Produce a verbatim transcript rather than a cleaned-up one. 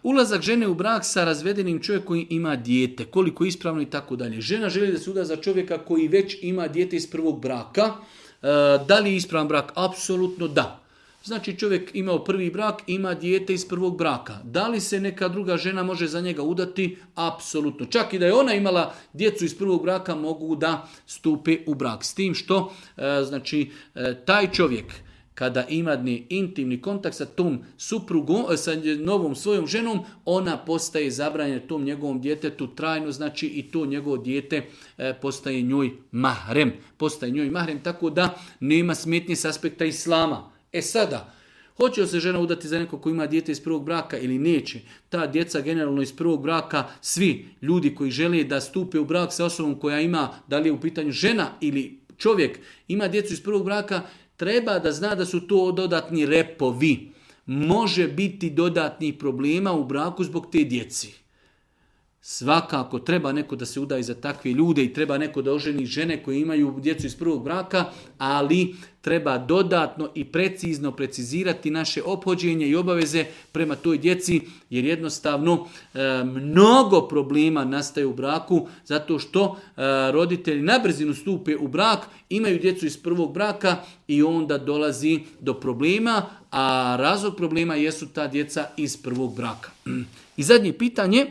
Ulazak žene u brak sa razvedenim čovjekom koji ima dijete, koliko je ispravno i tako dalje. Žena želi da se uda za čovjeka koji već ima dijete iz prvog braka. Da li je ispravan brak? Apsolutno da. Znači čovjek imao prvi brak, ima dijete iz prvog braka. Da li se neka druga žena može za njega udati? Apsolutno. Čak i da je ona imala djecu iz prvog braka, mogu da stupe u brak. S tim što znači taj čovjek kada ima intimni kontakt sa tom suprugom, sa novom svojom ženom, ona postaje zabranjena tom njegovom djetetu trajno, znači i to njegovo dijete postaje njoj mahrem. Postaje njoj mahrem, tako da nema smetnje s aspekta islama. E sada, hoće li se žena udati za nekog koji ima dijete iz prvog braka ili neće? Ta djeca generalno iz prvog braka, svi ljudi koji žele da stupe u brak sa osobom koja ima, da li je u pitanju žena ili čovjek, ima djecu iz prvog braka, treba da zna da su to dodatni repovi. Može biti dodatnih problema u braku zbog te djeci. Svakako treba neko da se udaje za takve ljude i treba neko da oženi žene koje imaju djecu iz prvog braka, ali treba dodatno i precizno precizirati naše ophođenje i obaveze prema toj djeci, jer jednostavno e, mnogo problema nastaje u braku zato što e, roditelji na brzinu stupe u brak, imaju djecu iz prvog braka i onda dolazi do problema, a razlog problema jesu ta djeca iz prvog braka. I zadnje pitanje.